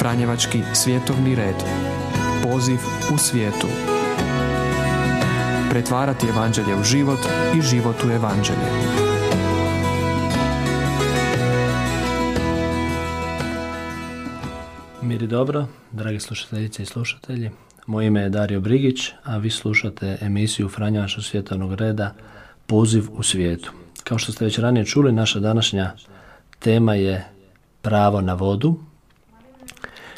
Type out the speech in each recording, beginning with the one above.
Franjevački svjetovni red. Poziv u svijetu. Pretvarati evanđelje u život i život u evanđelje. Mir i dobro, dragi slušateljice i slušatelji. Moje ime je Dario Brigić, a vi slušate emisiju Franjevačkog svjetovnog reda Poziv u svijetu. Kao što ste već ranije čuli, naša današnja tema je pravo na vodu.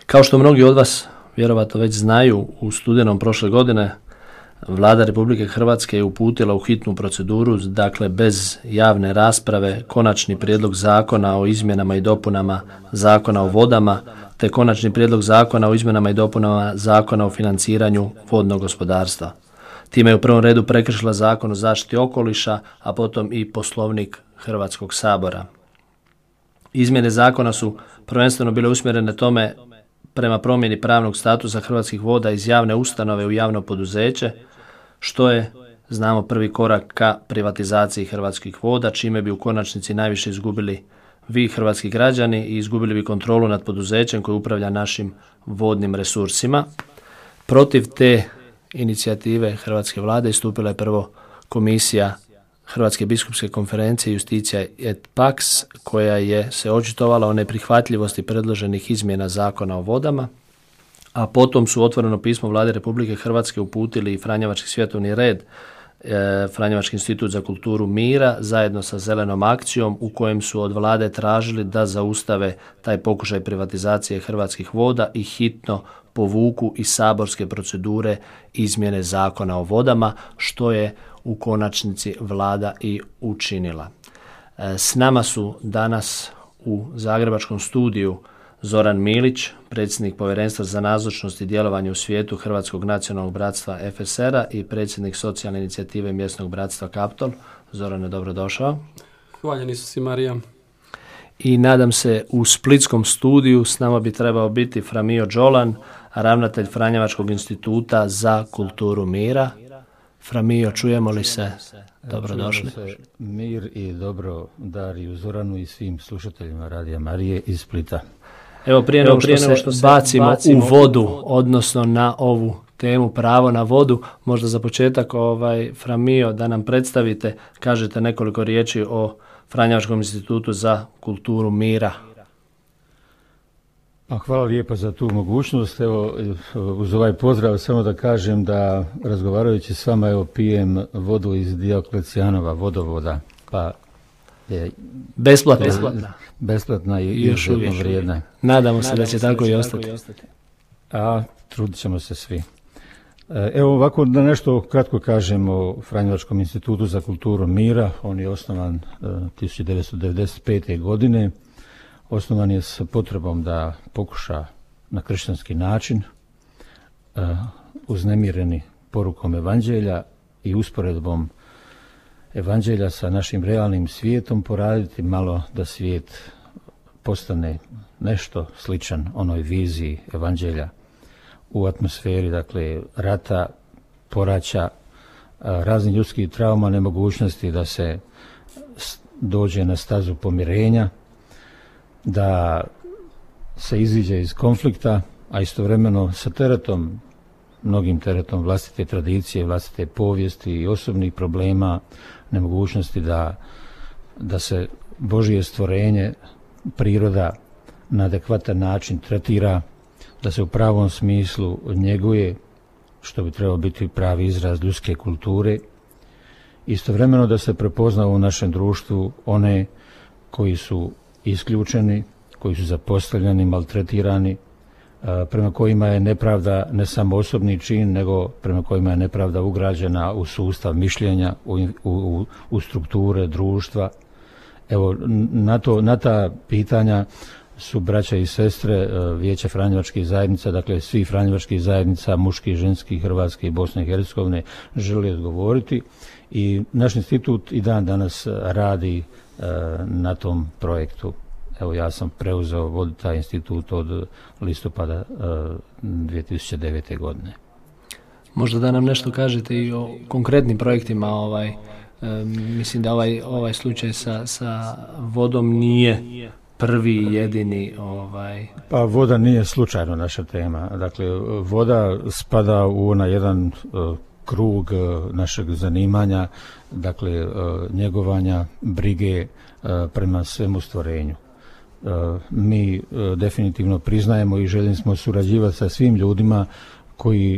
Kao što mnogi od vas vjerovatno već znaju, u studenom prošle godine Vlada Republike Hrvatske je uputila u hitnu proceduru, dakle bez javne rasprave, konačni prijedlog zakona o izmjenama i dopunama Zakona o vodama, te konačni prijedlog zakona o izmjenama i dopunama Zakona o financiranju vodnog gospodarstva. Time je u prvom redu prekršila Zakon o zaštiti okoliša, a potom i Poslovnik Hrvatskog sabora. Izmjene zakona su prvenstveno bile usmjerene tome prema promjeni pravnog statusa Hrvatskih voda iz javne ustanove u javno poduzeće, što je, znamo, prvi korak ka privatizaciji Hrvatskih voda, čime bi u konačnici najviše izgubili vi, hrvatski građani, i izgubili bi kontrolu nad poduzećem koji upravlja našim vodnim resursima. Protiv te inicijative hrvatske vlade istupila je prvo komisija Hrvatske biskupske konferencije Justitia et Pax, koja je se očitovala o neprihvatljivosti predloženih izmjena Zakona o vodama, a potom su otvoreno pismo Vlade Republike Hrvatske uputili i Franjevački svjetovni red, Franjevački institut za kulturu mira, zajedno sa Zelenom akcijom, u kojem su od vlade tražili da zaustave taj pokušaj privatizacije Hrvatskih voda i hitno povuku iz saborske procedure izmjene Zakona o vodama, što je u konačnici vlada i učinila. S nama su danas u zagrebačkom studiju Zoran Milić, predsjednik Povjerenstva za nazočnost i djelovanje u svijetu Hrvatskog nacionalnog bratstva FSR-a i predsjednik socijalne inicijative mjesnog bratstva Kaptol. Zorane, dobrodošao. Hvaljeni su si, Marija. I nadam se u splitskom studiju s nama bi trebao biti Framio Đolan, ravnatelj Franjevačkog instituta za kulturu mira. Framio, čujemo li se? Dobrodošli. Čujemo se, mir i dobro Dariju, Zoranu i svim slušateljima Radija Marije iz Splita. Evo, prije nego što se bacimo u vodu, odnosno na ovu temu pravo na vodu, možda za početak, Framio, da nam predstavite, kažete nekoliko riječi o Franjevačkom institutu za kulturu mira. Hvala lijepa za tu mogućnost. Evo, uz ovaj pozdrav samo da kažem da razgovarajući s vama pijem vodu iz Dioklecijanova vodovoda, pa je besplatna i izuzetno vrijedna. Nadamo se da će tako i ostati. A trudit ćemo se svi. Evo ovako da nešto kratko kažem o Franjevačkom institutu za kulturu mira. On je osnovan 1995. godine. Osnovan je s potrebom da pokuša na kršćanski način, uznemireni porukom evanđelja i usporedbom evanđelja sa našim realnim svijetom, poraditi malo da svijet postane nešto sličan onoj viziji evanđelja u atmosferi, dakle, rata, poraća, raznih ljudskih trauma, nemogućnosti da se dođe na stazu pomirenja, da se iziđe iz konflikta, a istovremeno sa teretom, mnogim teretom vlastite tradicije, vlastite povijesti i osobnih problema, nemogućnosti da se Božje stvorenje, priroda na adekvatan način tretira, da se u pravom smislu njeguje, što bi trebao biti pravi izraz ljudske kulture. Istovremeno da se prepozna u našem društvu one koji su isključeni, koji su zapostavljeni, maltretirani, prema kojima je nepravda ne samo osobni čin, nego prema kojima je nepravda ugrađena u sustav mišljenja, u strukture društva. Evo, na ta pitanja su braća i sestre Vijeća franjevačkih zajednica, dakle svi franjevačkih zajednica, muških, ženskih, Hrvatske i Bosne i Hercegovine, želi odgovoriti. I naš institut i dan danas radi na tom projektu. Evo, ja sam preuzeo voditi taj institut od listopada 2009. godine. Možda da nam nešto kažete i o konkretnim projektima. Mislim da ovaj slučaj sa vodom nije prvi i jedini Pa voda nije slučajno naša tema. Dakle, voda spada u onaj jedan krug našeg zanimanja, dakle njegovanja, brige prema svemu stvorenju. Mi definitivno priznajemo i željeli smo surađivati sa svim ljudima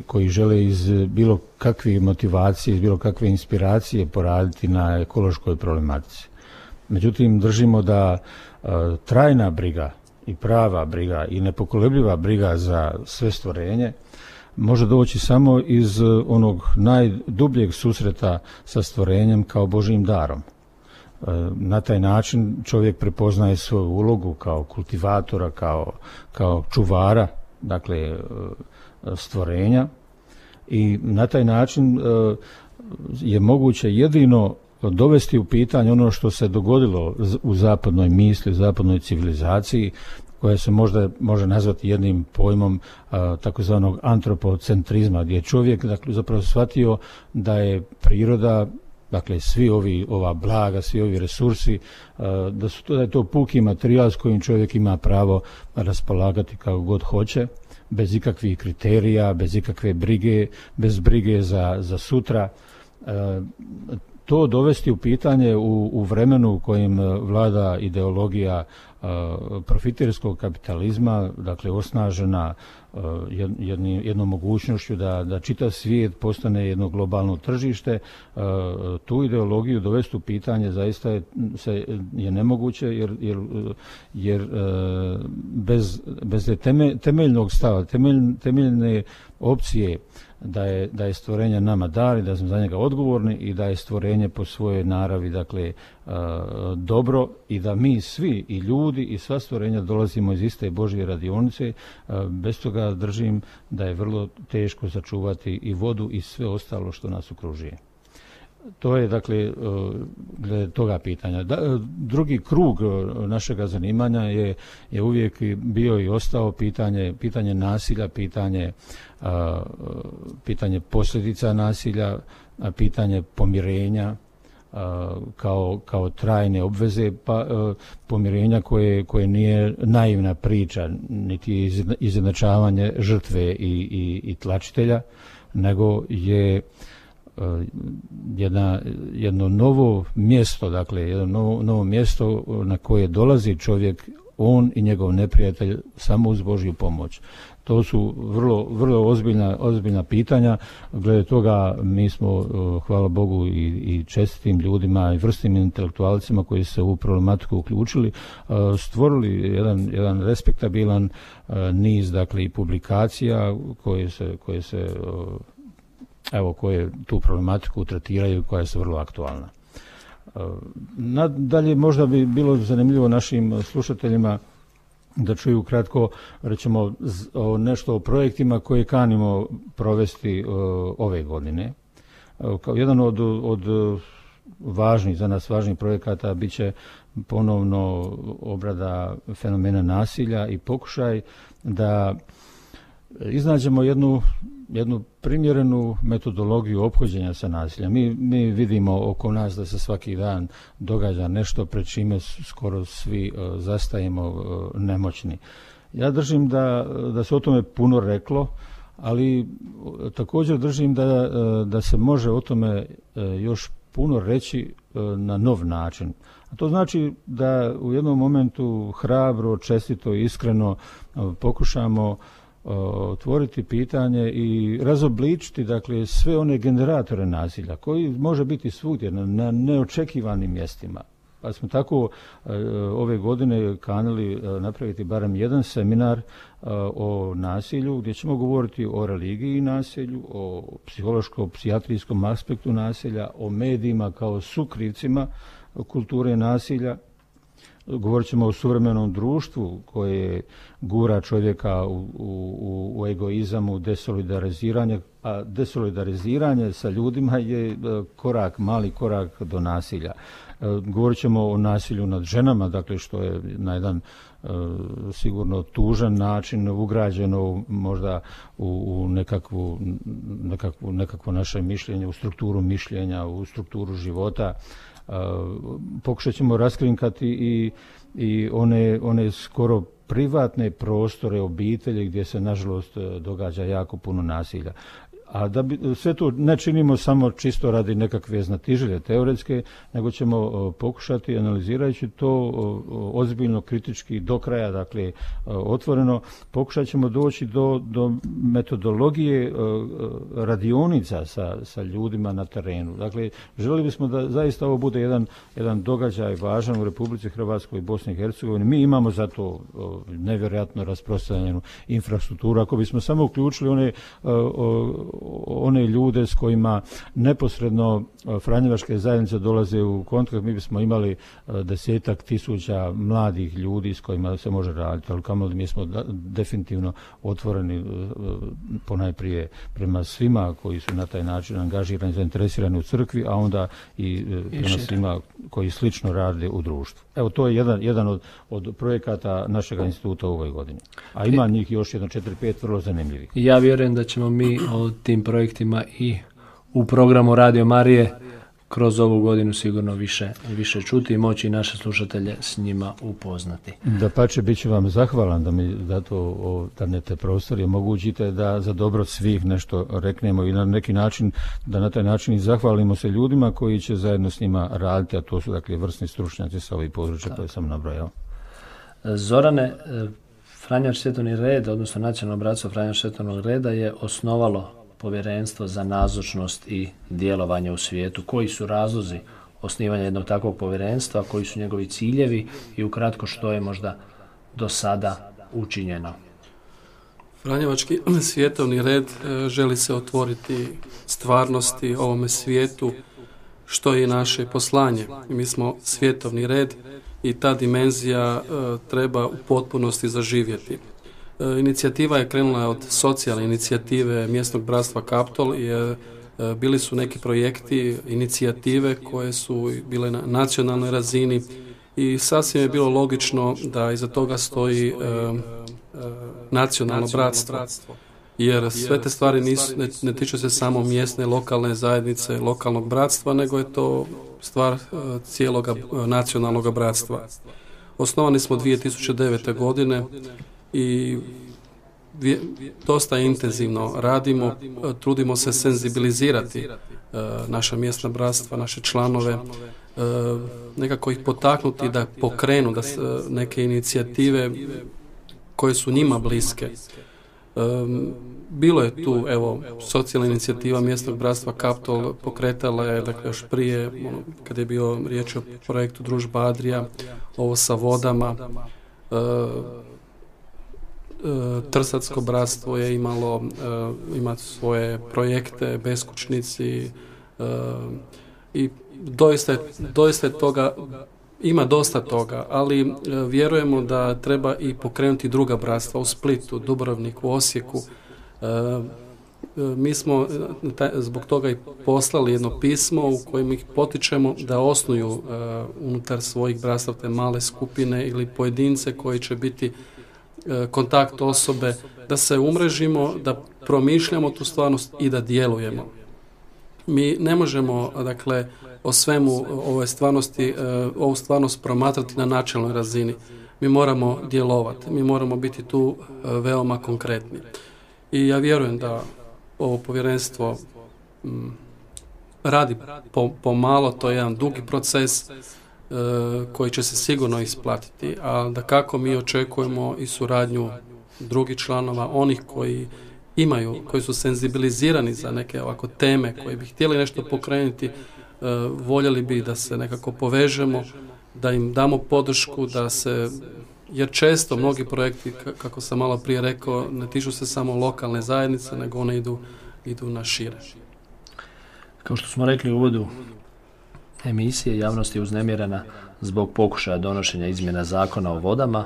koji žele iz bilo kakve motivacije, iz bilo kakve inspiracije poraditi na ekološkoj problematici. Međutim, držimo da trajna briga i prava briga i nepokolebljiva briga za sve stvorenje može doći samo iz onog najdubljeg susreta sa stvorenjem kao Božjim darom. Na taj način čovjek prepoznaje svoju ulogu kao kultivatora, kao čuvara, dakle stvorenja, i na taj način je moguće jedino dovesti u pitanje ono što se dogodilo u zapadnoj misli, u zapadnoj civilizaciji, koja se možda može nazvati jednim pojmom takozvanog antropocentrizma, gdje je čovjek zapravo shvatio da je priroda, dakle ova blaga, svi ovi resursi, da je to puki materijal s kojim čovjek ima pravo raspolagati kako god hoće, bez ikakvih kriterija, bez ikakve brige, bez brige za sutra. To dovesti u pitanje u vremenu u kojem vlada ideologija profiterskog kapitalizma, dakle osnažena jednom mogućnošću da čitav svijet postane jedno globalno tržište, tu ideologiju dovesti u pitanje zaista je nemoguće, jer bez temeljnog stava, temeljne opcije da je stvorenje nama dar i da smo za njega odgovorni i da je stvorenje po svojoj naravi, dakle, dobro, i da mi svi, i ljudi i sva stvorenja, dolazimo iz iste Božje radionice. Bez toga držim da je vrlo teško sačuvati i vodu i sve ostalo što nas okružuje. To je, dakle, glede toga pitanja. Drugi krug našega zanimanja je uvijek bio i ostao pitanje nasilja, pitanje posljedica nasilja, pitanje pomirenja kao trajne obveze, pomirenja koje nije naivna priča, niti izjednačavanje žrtve i tlačitelja, nego je jedno novo mjesto, dakle jedno novo mjesto na koje dolazi čovjek, on i njegov neprijatelj, samo uz Božju pomoć. To su vrlo ozbiljna pitanja. Glede toga mi smo, hvala Bogu, i čestitim ljudima i vrsnim intelektualcima koji se u problematiku uključili, stvorili jedan respektabilan niz, dakle, i publikacija koje tu problematiku tretiraju, koja su vrlo aktualna. Nadalje, možda bi bilo zanimljivo našim slušateljima da čuju kratko, recimo, nešto o projektima koje kanimo provesti ove godine. Kao jedan od za nas važnih projekata bit će ponovno obrada fenomena nasilja i pokušaj da iznađemo jednu primjerenu metodologiju ophođenja sa nasiljem. Mi vidimo oko nas da se svaki dan događa nešto pred čime skoro svi zastajemo nemoćni. Ja držim da se o tome puno reklo, ali također držim da se može o tome još puno reći na nov način. A to znači da u jednom momentu hrabro, čestito i iskreno pokušamo otvoriti pitanje i razobličiti, dakle, sve one generatore nasilja koji može biti svugdje na neočekivanim mjestima. Pa smo tako ove godine kanili napraviti barem jedan seminar o nasilju, gdje ćemo govoriti o religiji i nasilju, o psihološko-psijatrijskom aspektu nasilja, o medijima kao sukrivcima kulture nasilja. Govorit ćemo o suvremenom društvu koje gura čovjeka u egoizam, u desolidariziranje, a desolidariziranje sa ljudima je mali korak do nasilja. Govorit ćemo o nasilju nad ženama, dakle, što je na jedan sigurno tužan način ugrađeno možda u nekakvo naše mišljenje, u strukturu mišljenja, u strukturu života. Pokušat ćemo raskrinkati i one skoro privatne prostore obitelji gdje se nažalost događa jako puno nasilja. A da bi sve to ne činimo samo čisto radi nekakve znatiželje teoretske, nego ćemo pokušati analizirajući to ozbiljno, kritički, do kraja, dakle otvoreno, pokušat ćemo doći do metodologije radionica sa ljudima na terenu. Dakle, željeli bismo da zaista ovo bude jedan događaj važan u Republici Hrvatskoj i Bosni i Hercegovini. Mi imamo za to nevjerojatno rasprostranjenu infrastrukturu. Ako bismo samo uključili one ljude s kojima neposredno franjevačke zajednice dolaze u kontakt, mi bismo imali 10.000 mladih ljudi s kojima se može raditi, ali kamoli mi smo definitivno otvoreni ponajprije prema svima koji su na taj način angažirani, zainteresirani u crkvi, a onda i prema svima koji slično rade u društvu. Evo, to je jedan od projekata našeg instituta u ovoj godini. A ima njih još 4-5 vrlo zanimljivih. Ja vjerujem da ćemo mi o tim projektima i u programu Radio Marije kroz ovu godinu sigurno više čuti i moći naše slušatelje s njima upoznati. Dapače, bit ću vam zahvalan da mi te prostori omogućite da za dobro svih nešto reknemo i na neki način, da na taj način i zahvalimo se ljudima koji će zajedno s njima raditi, a to su dakle vrsni stručnjaci sa ovih područja koje sam nabrojao. Zorane, Franjač Svjetovni red, odnosno Nacionalno bratstvo Franjač Svjetovnog reda je osnovalo povjerenstvo za nazočnost i djelovanje u svijetu. Koji su razlozi osnivanja jednog takvog povjerenstva, koji su njegovi ciljevi i ukratko što je možda do sada učinjeno? Franjevački svjetovni red želi se otvoriti stvarnosti ovome svijetu, što je naše poslanje. Mi smo svjetovni red i ta dimenzija treba u potpunosti zaživjeti. Inicijativa je krenula od socijalne inicijative mjesnog bratstva Kaptol i bili su neki projekti, inicijative koje su bile na nacionalnoj razini i sasvim je bilo logično da iza toga stoji nacionalno bratstvo. Jer sve te stvari ne tiču se samo mjesne, lokalne zajednice, lokalnog bratstva, nego je to stvar cijelog nacionalnog bratstva. Osnovani smo 2009. godine i dosta intenzivno radimo, trudimo se senzibilizirati naša mjesna bratstva, naše članove, nekako ih potaknuti da pokrenu da neke inicijative koje su njima bliske. Bilo je tu, socijalna inicijativa mjesnog bratstva Kaptol pokretala je, dakle, još prije, kad je bio riječ o projektu Družba Adrija, ovo sa vodama. Trsatsko bratstvo je ima svoje projekte, beskućnici i doista je toga, ima dosta toga, ali vjerujemo da treba i pokrenuti druga bratstva u Splitu, Dubrovniku, Osijeku. Mi smo zbog toga i poslali jedno pismo u kojem ih potičemo da osnuju unutar svojih bratstva te male skupine ili pojedince koji će biti kontakt osobe, da se umrežimo, da promišljamo tu stvarnost i da djelujemo. Mi ne možemo, dakle, o svemu ovu stvarnost promatrati na načelnoj razini. Mi moramo djelovati, mi moramo biti tu veoma konkretni. I ja vjerujem da ovo povjerenstvo radi pomalo, to je jedan dugi proces koji će se sigurno isplatiti, a da kako mi očekujemo i suradnju drugih članova, onih koji su senzibilizirani za neke ovako teme, koji bi htjeli nešto pokrenuti, voljeli bi da se nekako povežemo, da im damo podršku, jer često mnogi projekti, kako sam malo prije rekao, ne tiču se samo lokalne zajednice, nego one idu na šire. Kao što smo rekli u uvodu emisije, javnost je uznemirena zbog pokušaja donošenja izmjena zakona o vodama,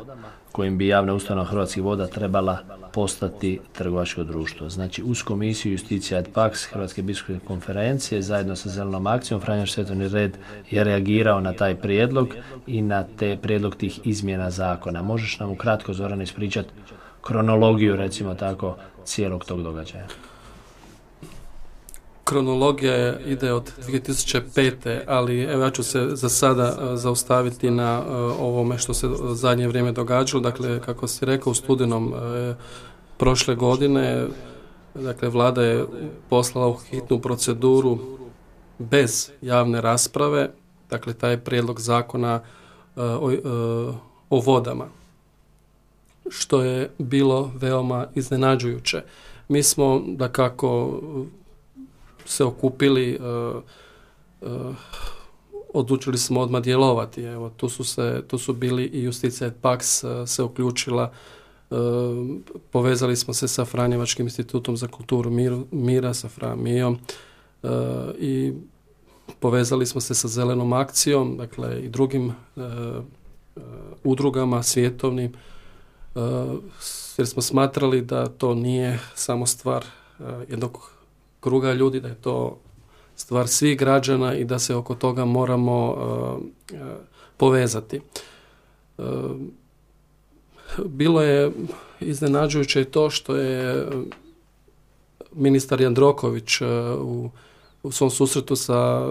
kojim bi javna ustanova Hrvatskih voda trebala postati trgovačko društvo. Znači, uz komisiju Justicija et Pax Hrvatske biskupske konferencije zajedno sa Zelenom akcijom Franjač Svjetovni red je reagirao na taj prijedlog i na prijedlog tih izmjena zakona. Možeš nam ukratko, Zoran, ispričati kronologiju, recimo tako, cijelog tog događaja? kronologija ide od 2005. ali evo ja ću se za sada zaustaviti na ovome što se zadnje vrijeme događalo. Dakle, kako si rekao, u studenom prošle godine, dakle, vlada je poslala u hitnu proceduru bez javne rasprave, dakle, taj prijedlog zakona o vodama, što je bilo veoma iznenađujuće. Mi smo, dakako, se okupili, odlučili smo odmah djelovati. Evo, tu su bili i Justicija et Pax se uključila, povezali smo se sa Franjevačkim institutom za kulturu mira, sa FRA-MIO, i povezali smo se sa Zelenom akcijom, dakle i drugim udrugama svjetovnim, jer smo smatrali da to nije samo stvar jednog kruga ljudi, da je to stvar svih građana i da se oko toga moramo povezati. Bilo je iznenađujuće i to što je ministar Jandroković u svom susretu sa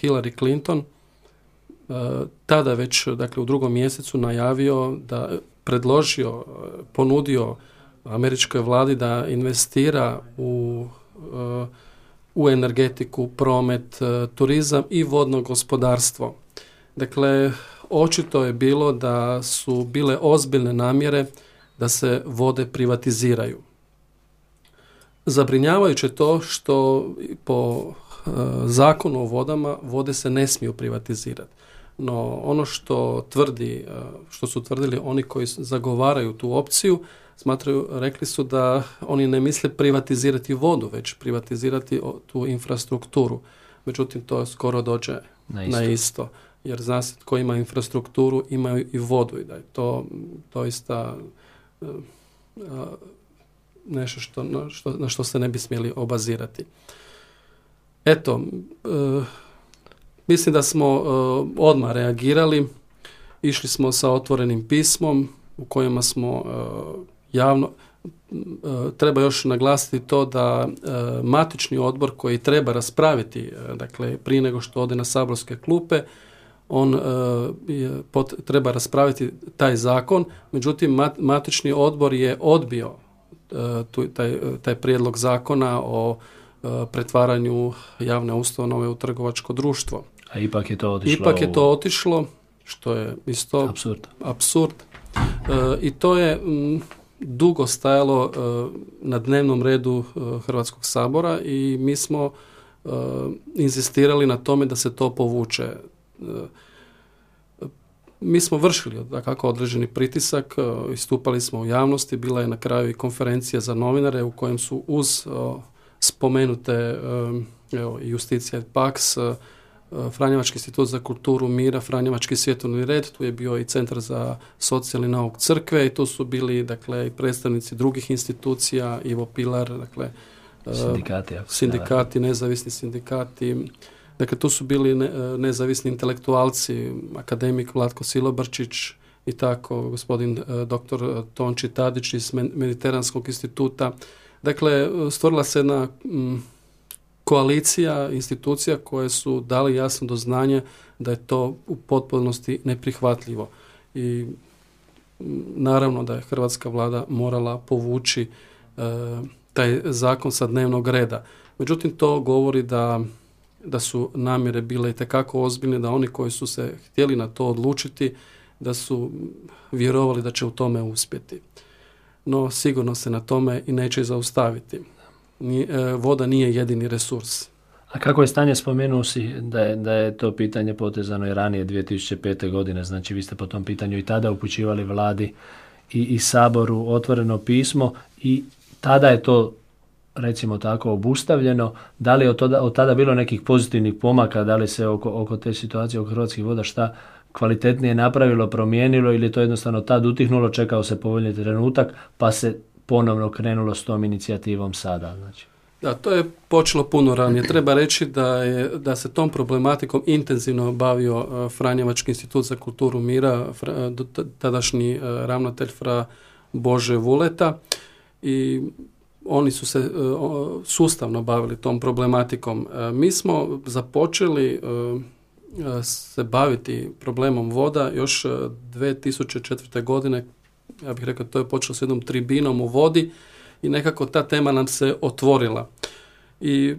Hillary Clinton tada već, dakle, u 2. mjesecu najavio da ponudio američkoj vladi da investira u energetiku, promet, turizam i vodno gospodarstvo. Dakle, očito je bilo da su bile ozbiljne namjere da se vode privatiziraju. Zabrinjavajuće to što po zakonu o vodama vode se ne smiju privatizirati. No ono što su tvrdili oni koji zagovaraju tu opciju, rekli su da oni ne misle privatizirati vodu, već privatizirati tu infrastrukturu. Međutim, to skoro dođe na isto. Jer zna se tko ima infrastrukturu, imaju i vodu i da je to doista nešto na što se ne bi smjeli obazirati. Eto, mislim da smo odmah reagirali, išli smo sa otvorenim pismom u kojima smo javno, treba još naglasiti to da matični odbor koji treba raspraviti, dakle prije nego što ode na saborske klupe, on treba raspraviti taj zakon, međutim matični odbor je odbio taj prijedlog zakona o pretvaranju javne ustanove u trgovačko društvo. A ipak je to otišlo. Što je isto apsurd. I to je dugo stajalo na dnevnom redu Hrvatskog sabora i mi smo inzistirali na tome da se to povuče. Mi smo vršili dakako određeni pritisak, istupali smo u javnosti, bila je na kraju i konferencija za novinare u kojem su uz spomenute Justicija et Pax, Franjevački institut za kulturu mira, Franjevački svjetovni red, tu je bio i Centar za socijalni nauk crkve i tu su bili, dakle, i predstavnici drugih institucija, Ivo Pilar, dakle, sindikati, nezavisni sindikati. Dakle, tu su bili nezavisni intelektualci, akademik Vlatko Silobrčić i tako, gospodin dr. Tonči Tadić iz Mediteranskog instituta. Dakle, stvorila se jedna koalicija institucija koje su dali jasno do znanja da je to u potpunosti neprihvatljivo. I naravno da je hrvatska vlada morala povući taj zakon sa dnevnog reda. Međutim, to govori da su namjere bile itekako ozbiljne, da oni koji su se htjeli na to odlučiti, da su vjerovali da će u tome uspjeti. No, sigurno se na tome i neće zaustaviti. Voda nije jedini resurs. A kako je stanje, spomenuo si da je to pitanje potezano i ranije 2005. godine, znači vi ste po tom pitanju i tada upućivali vladi i Saboru otvoreno pismo i tada je to, recimo tako, obustavljeno. Da li je od tada bilo nekih pozitivnih pomaka, da li se oko te situacije oko Hrvatskih voda šta kvalitetnije napravilo, promijenilo ili je to jednostavno tad utihnulo, čekao se povoljni trenutak pa se ponovno krenulo s tom inicijativom sada? Znači. Da, to je počelo puno ranije. Treba reći da se tom problematikom intenzivno bavio Franjevački institut za kulturu mira, tadašnji ravnatelj Fra Bože Vuleta, i oni su se sustavno bavili tom problematikom. Mi smo započeli se baviti problemom voda još 2004. godine. Ja bih rekao, to je počelo s jednom tribinom u vodi i nekako ta tema nam se otvorila. I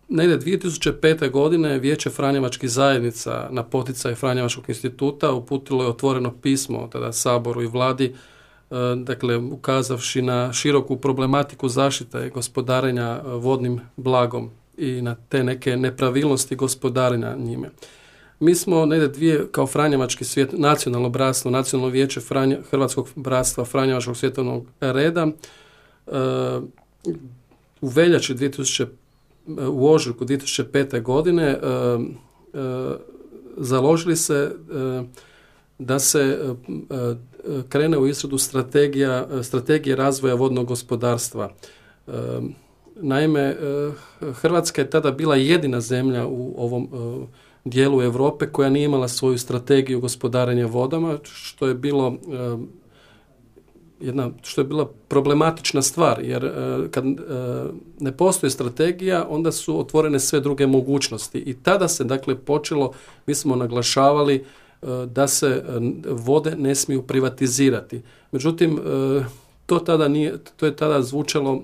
negdje 2005. godine Vijeće Franjevačkih zajednica na poticaj Franjevačkog instituta uputilo je otvoreno pismo tada Saboru i Vladi, dakle ukazavši na široku problematiku zaštite i gospodarenja vodnim blagom i na te neke nepravilnosti gospodarenja njime. Mi smo negdje kao Franjevački svijet, nacionalno bratstvo, nacionalno vijeće Hrvatskog bratstva Franjevačkog svjetovnog reda u veljači u ožujku 2005. godine založili se da se krene u izradu strategije razvoja vodnog gospodarstva. Naime, Hrvatska je tada bila jedina zemlja u ovom dijelu Europe koja nije imala svoju strategiju gospodarenja vodama, što je bila problematična stvar, jer kad ne postoji strategija, onda su otvorene sve druge mogućnosti. I tada se dakle počelo, mi smo naglašavali da se vode ne smiju privatizirati. Međutim, to je tada zvučalo,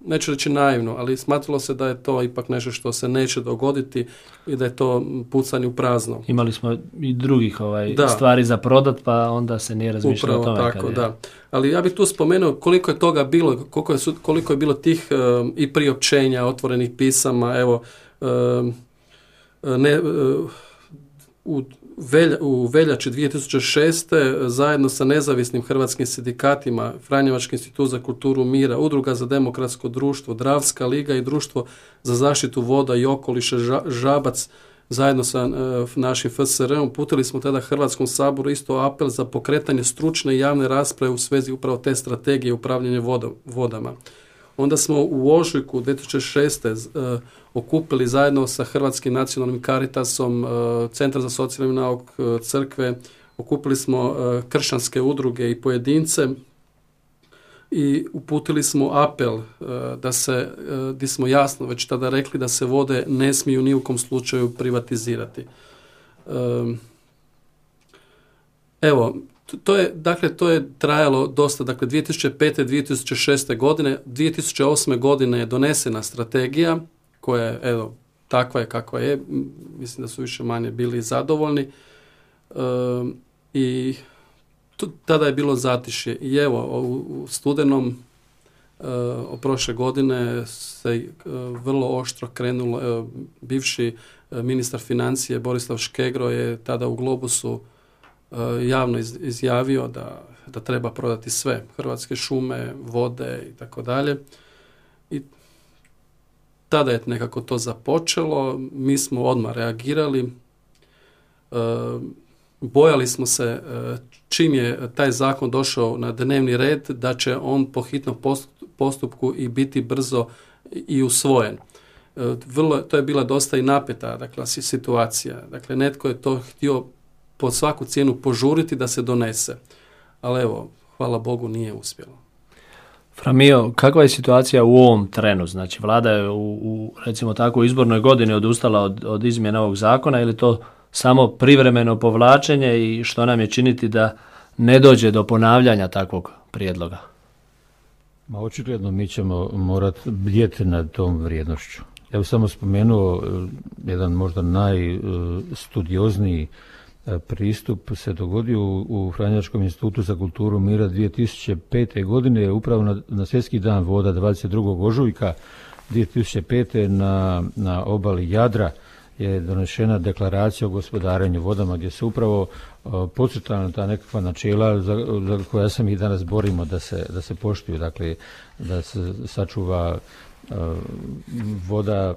neću reći naivno, ali smatralo se da je to ipak nešto što se neće dogoditi i da je to pucanje u prazno. Imali smo i drugih stvari za prodat, pa onda se nije razmišljalo o tome. Upravo tako, da. Ali ja bih tu spomenuo koliko je toga bilo, koliko je bilo tih i priopćenja, otvorenih pisama, evo, u veljači 2006. zajedno sa nezavisnim hrvatskim sindikatima, Franjevački institut za kulturu mira, Udruga za demokratsko društvo, Dravska liga i Društvo za zaštitu voda i okoliša Žabac, zajedno sa našim FSR-om, uputili smo tada Hrvatskom saboru isto apel za pokretanje stručne i javne rasprave u svezi upravo te strategije upravljanja vodama. Onda smo u ožujku 2006. okupili zajedno sa Hrvatskim nacionalnim Caritasom, Centar za socijalni nauk, crkve, okupili smo kršćanske udruge i pojedince i uputili smo apel gdje smo jasno već tada rekli da se vode ne smiju ni u kom slučaju privatizirati. Evo, to je trajalo dosta, dakle 2005. 2006. godine, 2008. godine je donesena strategija koja je, evo, takva je kakva je, mislim da su više manje bili zadovoljni i tada je bilo zatišje. I evo, u studenom prošle godine se vrlo oštro krenulo, bivši ministar financije Borislav Škegro je tada u Globusu javno izjavio da treba prodati sve, Hrvatske šume, vode i tako dalje. I tada je nekako to započelo, mi smo odmah reagirali, bojali smo se čim je taj zakon došao na dnevni red da će on po hitnom postupku i biti brzo i usvojen. To je bila dosta i napeta, dakle, situacija. Dakle, netko je to htio pod svaku cijenu požuriti da se donese. Ali evo, hvala Bogu, nije uspjelo. Framio, kakva je situacija u ovom trenu? Znači, vlada je u recimo tako izbornoj godini odustala od izmjena ovog zakona ili to samo privremeno povlačenje i što nam je činiti da ne dođe do ponavljanja takvog prijedloga? Očigledno mi ćemo morati bdjeti nad tom vrijednošću. Ja bih samo spomenuo jedan možda najstudiozniji pristup se dogodio u Franjevačkom institutu za kulturu mira 2005. godine, upravo na Svjetski dan voda 22. ožujka 2005. na obali Jadra je donešena deklaracija o gospodarenju vodama gdje se upravo podcrtana ta nekakva načela za koja se mi danas borimo da se poštuju, dakle da se sačuva voda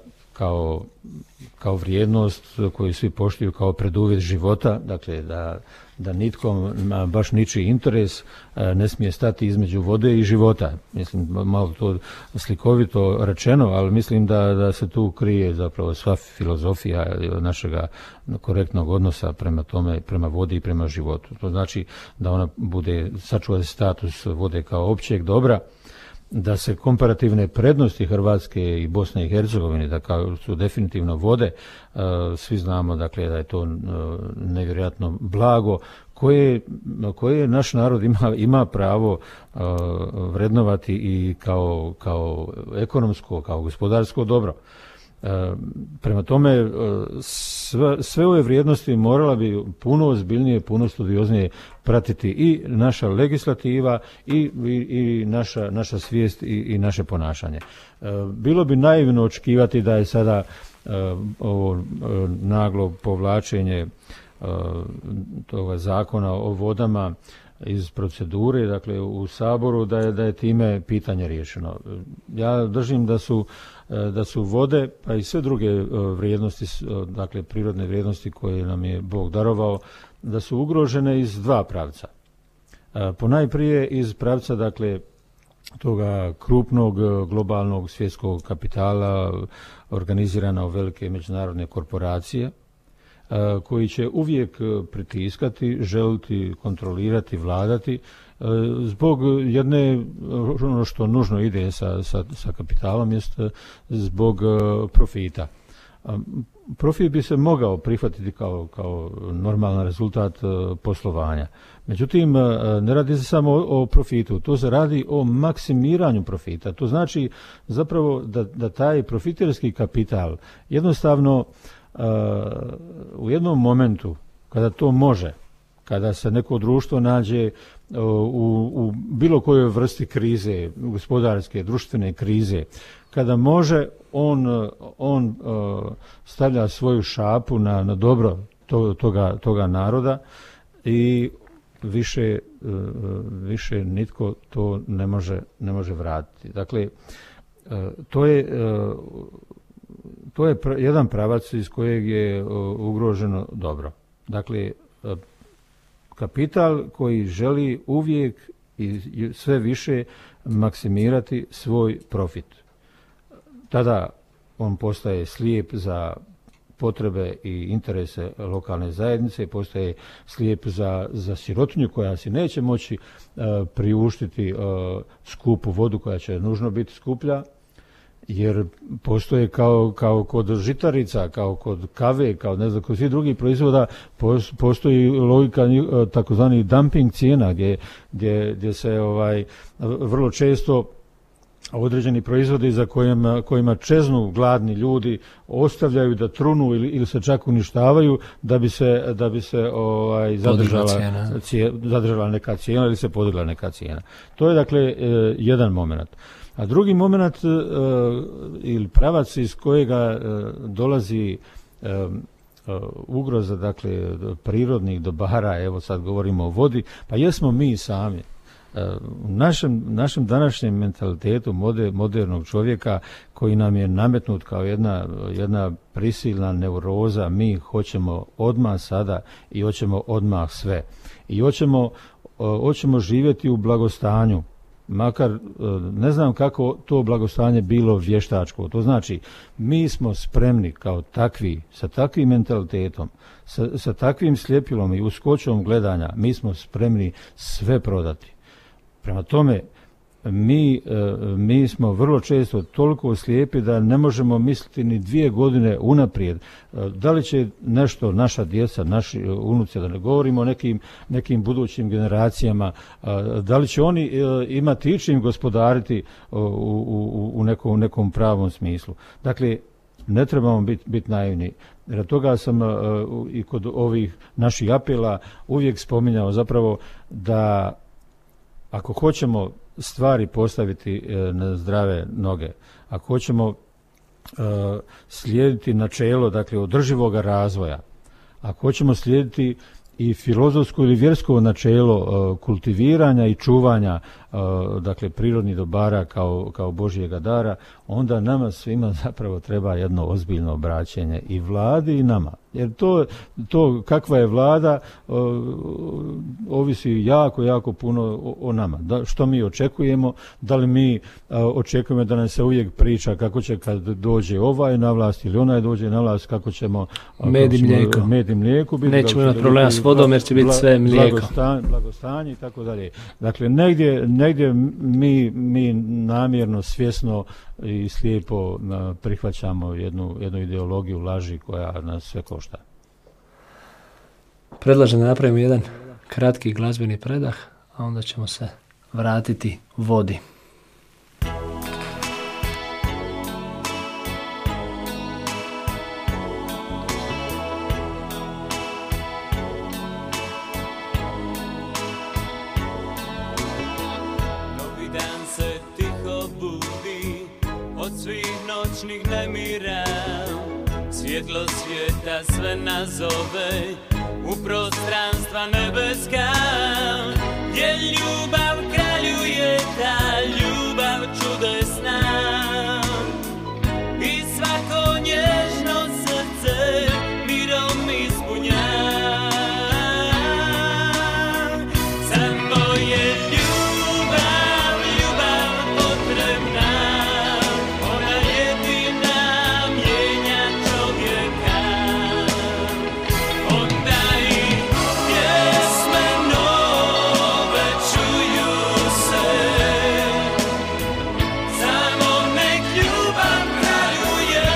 kao vrijednost koju svi poštuju kao preduvjet života, dakle da nitko, baš ničiji interes ne smije stati između vode i života. Mislim, malo to slikovito rečeno, ali mislim da se tu krije zapravo sva filozofija našega korektnog odnosa prema tome, prema vodi i prema životu. To znači da ona sačuva status vode kao općeg dobra da se komparativne prednosti Hrvatske i Bosne i Hercegovine, da kao su definitivno vode, svi znamo dakle da je to nevjerojatno blago koje naš narod ima pravo vrednovati i kao ekonomsko, kao gospodarsko dobro. Prema tome, sve ove vrijednosti morala bi puno ozbiljnije, puno studioznije pratiti i naša legislativa i naša svijest i naše ponašanje. Bilo bi naivno očekivati da je sada ovo naglo povlačenje toga zakona o vodama iz procedure, dakle u Saboru, da je time pitanje riješeno. Ja držim da su vode, pa i sve druge vrijednosti, dakle prirodne vrijednosti koje nam je Bog darovao, da su ugrožene iz dva pravca. Ponajprije iz pravca, dakle, toga krupnog globalnog svjetskog kapitala organizirana u velike međunarodne korporacije, koji će uvijek pritiskati, želiti kontrolirati, vladati zbog jedne, ono što nužno ide sa kapitalom, jest zbog profita. Profit bi se mogao prihvatiti kao normalan rezultat poslovanja. Međutim, ne radi se samo o profitu, to se radi o maksimiranju profita. To znači zapravo da taj profiterski kapital jednostavno u jednom momentu kada to može, kada se neko društvo nađe u bilo kojoj vrsti krize, gospodarske, društvene krize, kada može, on stavlja svoju šapu na dobro toga naroda i više nitko to ne može vratiti. Dakle, to je jedan pravac iz kojeg je ugroženo dobro. Dakle, kapital koji želi uvijek i sve više maksimirati svoj profit. Tada on postaje slijep za potrebe i interese lokalne zajednice, postaje slijep za sirotinju koja si neće moći priuštiti skupu vodu koja će nužno biti skuplja, jer postoje kao kod žitarica, kao kod kave, kao ne znam, kod svih drugih proizvoda, postoji logika takozvani dumping cijena gdje se vrlo često određeni proizvodi za kojima čeznu gladni ljudi ostavljaju da trunu ili se čak uništavaju da bi se zadržala neka cijena ili se podigla neka cijena. To je dakle jedan moment. A drugi moment ili pravac iz kojega dolazi ugroza, dakle, prirodnih dobara, evo sad govorimo o vodi, pa jesmo mi sami. U našem današnjem mentalitetu modernog čovjeka koji nam je nametnut kao jedna prisilna neuroza, mi hoćemo odmah sada i hoćemo odmah sve. I hoćemo živjeti u blagostanju. Makar ne znam kako to blagostanje bilo vještačko. To znači mi smo spremni kao takvi, sa takvim mentalitetom, sa takvim sljepilom i uskočom gledanja, mi smo spremni sve prodati. Prema tome, mi smo vrlo često toliko slijepi da ne možemo misliti ni 2 godine unaprijed. Da li će nešto naša djeca, naši unuci, da ne govorimo o nekim budućim generacijama, da li će oni imati ičim gospodariti u nekom pravom smislu. Dakle, ne trebamo biti naivni. Jer toga sam i kod ovih naših apela uvijek spominjao zapravo da ako hoćemo stvari postaviti na zdrave noge, ako hoćemo slijediti načelo, dakle, održivoga razvoja, ako hoćemo slijediti i filozofsko ili vjersko načelo kultiviranja i čuvanja, dakle, prirodnih dobara kao Božjega dara, onda nama svima zapravo treba jedno ozbiljno obraćenje i vladi i nama. Jer to kakva je vlada ovisi jako puno o nama. Što mi očekujemo, da li mi očekujemo da nam se uvijek priča kako će kad dođe ovaj na vlast ili onaj dođe na vlast, kako ćemo med i mlijeko biti. Nećemo imati problema s vodom jer će biti sve mlijeko. Blagostanje i tako dalje. Dakle, negdje mi namjerno, svjesno i slijepo prihvaćamo jednu ideologiju laži koja nas sve košta. Predlažem da napravimo jedan kratki glazbeni predah, a onda ćemo se vratiti vodi. Svjetlo svijeta sve nazove u prostranstva nebeska, gdje ljubav kraljuje, ta ljubav čudesna i svako nježno srce mirom ispunja. Samo je ljubav, ljubav potrebna, ona jedina mijenja čovjeka. Onda i pjesme nove čuju se, samo nek ljubav kraljuje.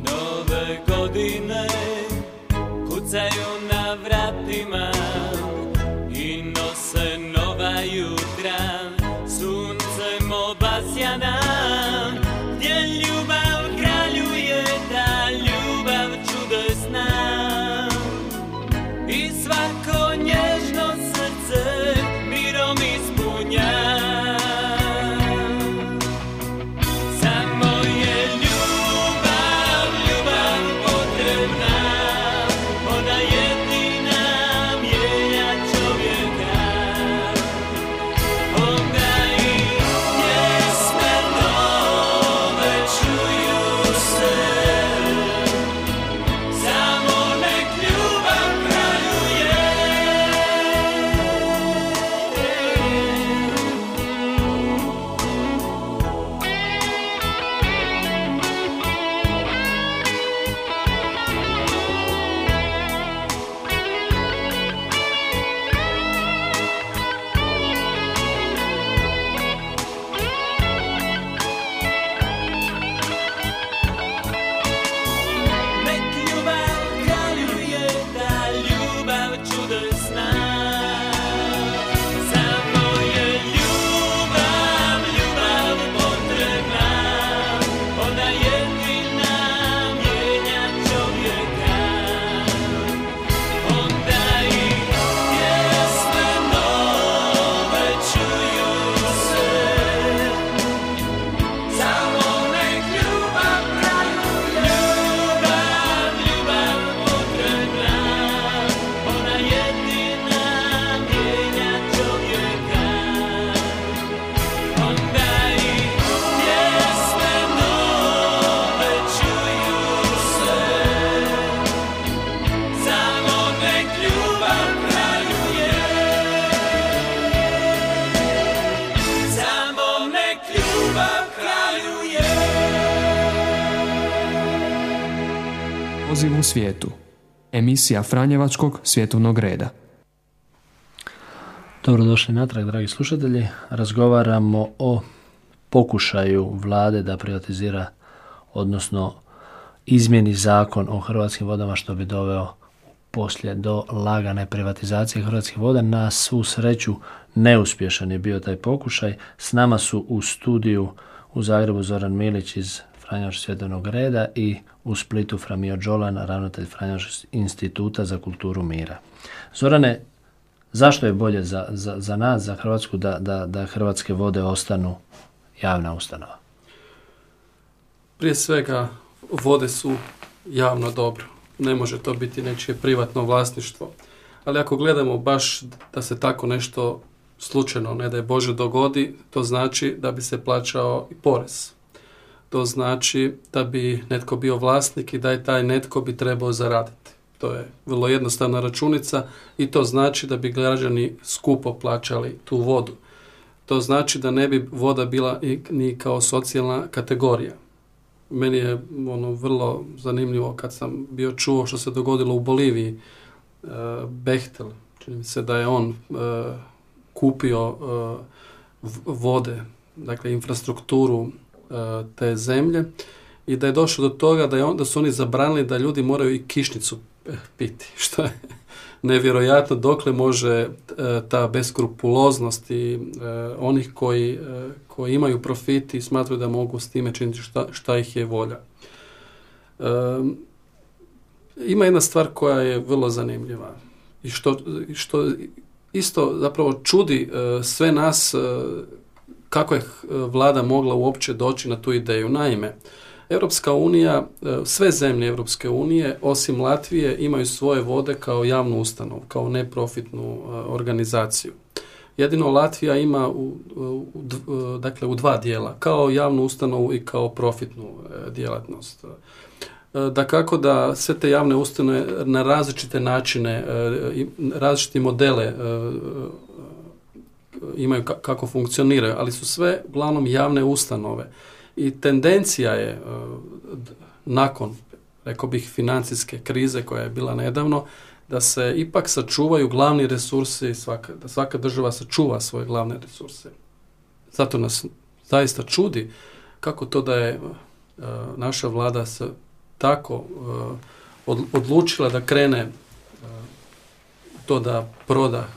Nove godine kucaju na vratima i nose nova jutra, suncem obasjana, gdje ljubav kraljuje, ta ljubav čudesna i svako nježno srce mirom ispunja. Samo je ljubav, ljubav potrebna, ona jedina mijenja čovjeka. Onda i pjesme nove čuju se, samo nek ljubav kraljuje. Nek ljubav kraljuje, ta ljubav čudesna. Samo je ljubav, ljubav potrebna, ona jedina mijenja čovjeka. Onda i pjesme nove čuju se, samo nek ljubav kraljuje. Ljubav, ljubav potrebna, ona jedina mijenja čovjeka. Onda i pjesme nove čuju se, samo nek ljubav kraljuje. Samo nek ljubav kraljuje. Poziv u svijetu. Emisija Franjevačkog svjetovnog reda. Dobrodošli natrag, dragi slušatelji. Razgovaramo o pokušaju vlade da privatizira, odnosno izmjeni zakon o Hrvatskim vodama, što bi doveo poslije do lagane privatizacije Hrvatskih voda. Na svu sreću neuspješan je bio taj pokušaj. S nama su u studiju u Zagrebu Zoran Milić iz Franjevačkog svjetovnog reda i u Splitu Framio Đolan, ravnatelj Franjevačkog instituta za kulturu mira. Zorane, zašto je bolje za nas, za Hrvatsku, da Hrvatske vode ostanu javna ustanova? Prije svega, vode su javno dobro. Ne može to biti nečije privatno vlasništvo. Ali ako gledamo baš da se tako nešto slučajno, ne daj Bože, dogodi, to znači da bi se plaćao i porez. To znači da bi netko bio vlasnik i da je taj netko bi trebao zaraditi. To je vrlo jednostavna računica i to znači da bi građani skupo plaćali tu vodu. To znači da ne bi voda bila ni kao socijalna kategorija. Meni je vrlo zanimljivo kad sam bio čuo što se dogodilo u Boliviji. Bechtel, čini mi se da je on kupio vode, dakle infrastrukturu te zemlje i da je došlo do toga da su oni zabranili da ljudi moraju i kišnicu piti, što je nevjerojatno dokle može ta beskrupuloznost i onih koji imaju profit i smatraju da mogu s time činiti šta ih je volja. Ima jedna stvar koja je vrlo zanimljiva i što isto zapravo čudi sve nas kako je vlada mogla uopće doći na tu ideju. Naime, Europska unija, sve zemlje Europske unije, osim Latvije, imaju svoje vode kao javnu ustanovu, kao neprofitnu organizaciju. Jedino Latvija ima u dva dijela, kao javnu ustanovu i kao profitnu djelatnost. Dakako da sve te javne ustanove na različite načine, različite modele imaju kako funkcioniraju, ali su sve uglavnom javne ustanove. I tendencija je nakon, rekao bih, financijske krize koja je bila nedavno, da se ipak sačuvaju glavni resursi, da svaka država sačuva svoje glavne resurse. Zato nas zaista čudi kako to da je naša vlada se tako odlučila da krene to da proda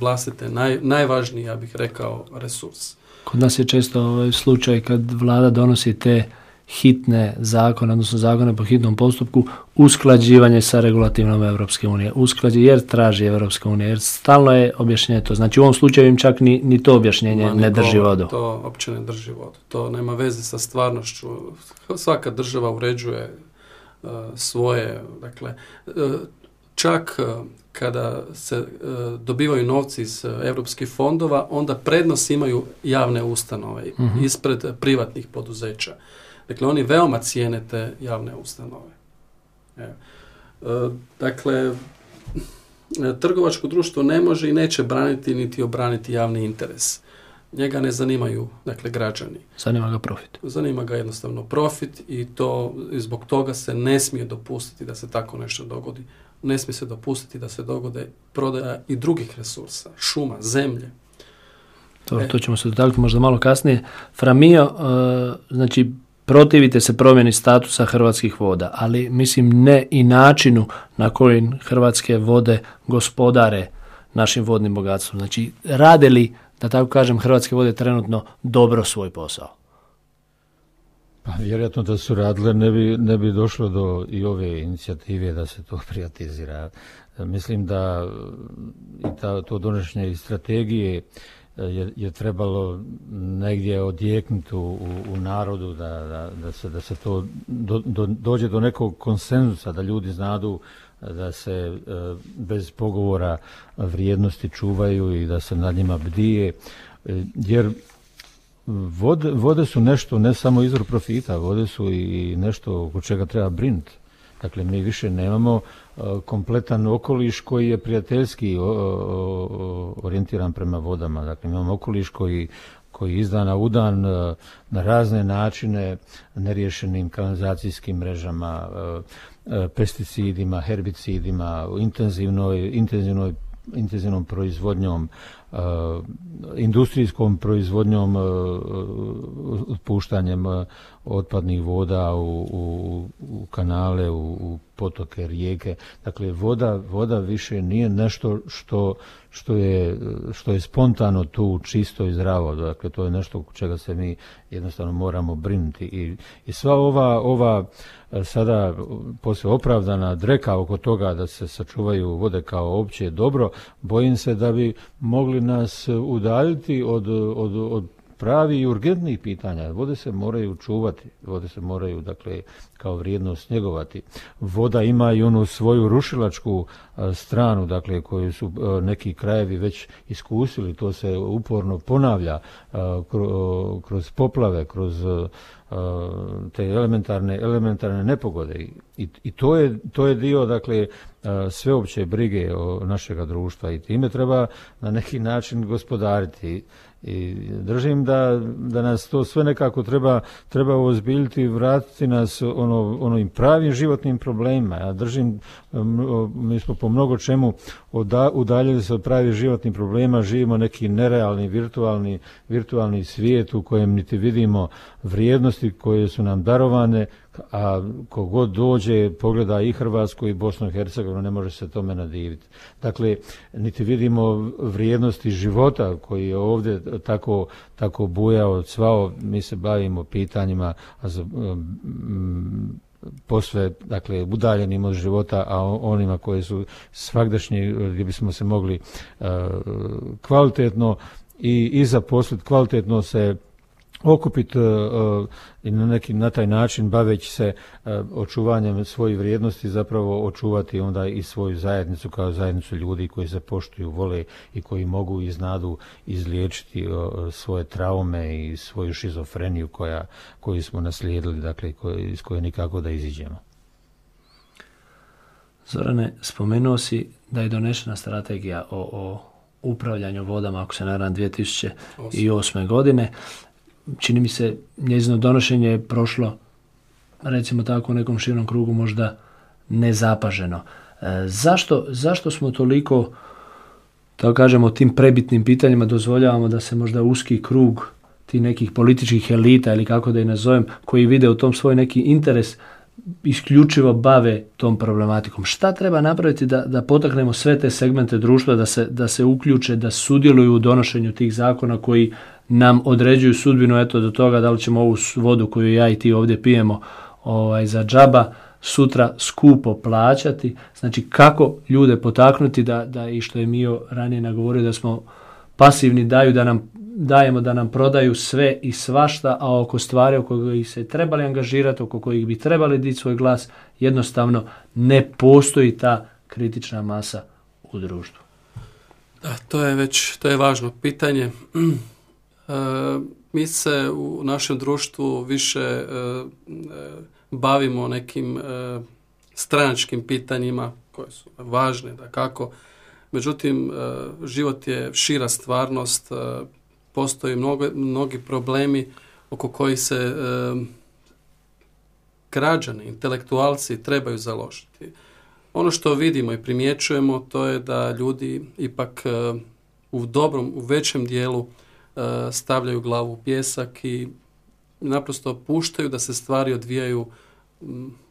vlastite najvažniji, ja bih rekao, resurs. Kod nas je često slučaj kad vlada donosi te hitne zakone, odnosno zakone po hitnom postupku, usklađivanje sa regulativom Europske unije. Jer traži Europska unija, jer stalno je objašnjenje to. Znači u ovom slučaju im čak ni to objašnjenje ne drži vodu. To uopće ne drži vodu. To nema veze sa stvarnošću. Svaka država uređuje svoje, dakle, čak kada se dobivaju novci iz europskih fondova, onda prednost imaju javne ustanove ispred privatnih poduzeća. Dakle, oni veoma cijene te javne ustanove. Dakle, trgovačko društvo ne može i neće braniti niti obraniti javni interes. Njega ne zanimaju, dakle, građani. Zanima ga profit. Zanima ga jednostavno profit i zbog toga se ne smije dopustiti da se tako nešto dogodi. Ne smije se dopustiti da se dogode prodaja i drugih resursa, šuma, zemlje. To ćemo se dotaknuti možda malo kasnije. Framio, znači, protivite se promjeni statusa Hrvatskih voda, ali mislim ne i načinu na koji Hrvatske vode gospodare našim vodnim bogatstvom. Znači, rade li, da tako kažem, Hrvatske vode trenutno dobro svoj posao? Pa vjerojatno da su radile ne bi došlo do i ove inicijative da se to privatizira. Mislim da i to donošenje iz strategije je trebalo negdje odjeknuti u narodu da se to dođe do nekog konsenzusa, da ljudi znadu da se bez pogovora vrijednosti čuvaju i da se nad njima bdije, jer vode su nešto, ne samo izvor profita, vode su i nešto oko čega treba brinuti. Dakle, mi više nemamo kompletan okoliš koji je prijateljski orijentiran prema vodama. Dakle, imamo okoliš koji iz dana u dan na razne načine, neriješenim kanalizacijskim mrežama, pesticidima, herbicidima, intenzivnom proizvodnjom, industrijskom proizvodnjom, otpuštanjem otpadnih voda u kanale, u potoke, rijeke. Dakle, voda više nije nešto što je spontano tu, čisto i zdravo. Dakle, to je nešto čega se mi jednostavno moramo brinuti. I sva ova sada poslije opravdana dreka oko toga da se sačuvaju vode kao opće dobro, bojim se da bi mogli nas udaljiti od pravi i urgentnih pitanja. Vode se moraju čuvati, vode se moraju, dakle, kao vrijednost njegovati. Voda ima i onu svoju rušilačku stranu, dakle, koju su neki krajevi već iskusili, to se uporno ponavlja kroz poplave, kroz te elementarne nepogode. I to je dio, dakle, sveopće brige našega društva i time treba na neki način gospodariti. I držim da nas to sve nekako treba ozbiljiti i vratiti nas onim pravim životnim problemima. Ja držim, mi smo po mnogo čemu udaljili se od pravih životnih problema, živimo neki nerealni, virtualni svijet u kojem niti vidimo vrijednosti koje su nam darovane, a kogod dođe, pogleda i Hrvatsku i Bosnu i Hercegovinu, ne može se tome nadiviti. Dakle, niti vidimo vrijednosti života koji je ovdje tako bujao, cvao. Mi se bavimo pitanjima posve, dakle, udaljenim od života, a onima koji su svagdašnji, gdje bismo se mogli kvalitetno i zaposliti, kvalitetno se okupiti i na taj način, baveći se očuvanjem svojih vrijednosti, zapravo očuvati onda i svoju zajednicu kao zajednicu ljudi koji se poštuju, vole i koji mogu i znadu izliječiti svoje traume i svoju šizofreniju koju smo naslijedili, dakle, iz koje nikako da iziđemo. Zorane, spomenuo si da je donešena strategija o upravljanju vodama, ako se ne varam, 2008. godine. Čini mi se, njezino donošenje je prošlo, recimo tako, u nekom širom krugu možda nezapaženo. Zašto smo toliko, tako kažemo, tim prebitnim pitanjima dozvoljavamo da se možda uski krug tih nekih političkih elita, ili kako da ih nazovem, koji vide u tom svoj neki interes, isključivo bave tom problematikom? Šta treba napraviti da potaknemo sve te segmente društva da se uključe, da sudjeluju u donošenju tih zakona koji nam određuju sudbinu, eto, do toga da li ćemo ovu vodu koju ja i ti ovdje pijemo za džaba sutra skupo plaćati? Znači, kako ljude potaknuti da i što je Mio ranije nagovorio, da smo pasivni, dajemo da nam prodaju sve i svašta, a oko stvari oko kojih se trebali angažirati, oko kojih bi trebali dići svoj glas, jednostavno ne postoji ta kritična masa u društvu. Da, to je važno pitanje. Mi se u našem društvu više bavimo nekim stranačkim pitanjima koje su važne, dakako. Međutim, život je šira stvarnost, postoji mnogi problemi oko kojih se građani, intelektualci trebaju založiti. Ono što vidimo i primjećujemo, to je da ljudi ipak u većem dijelu stavljaju glavu u pijesak i naprosto puštaju da se stvari odvijaju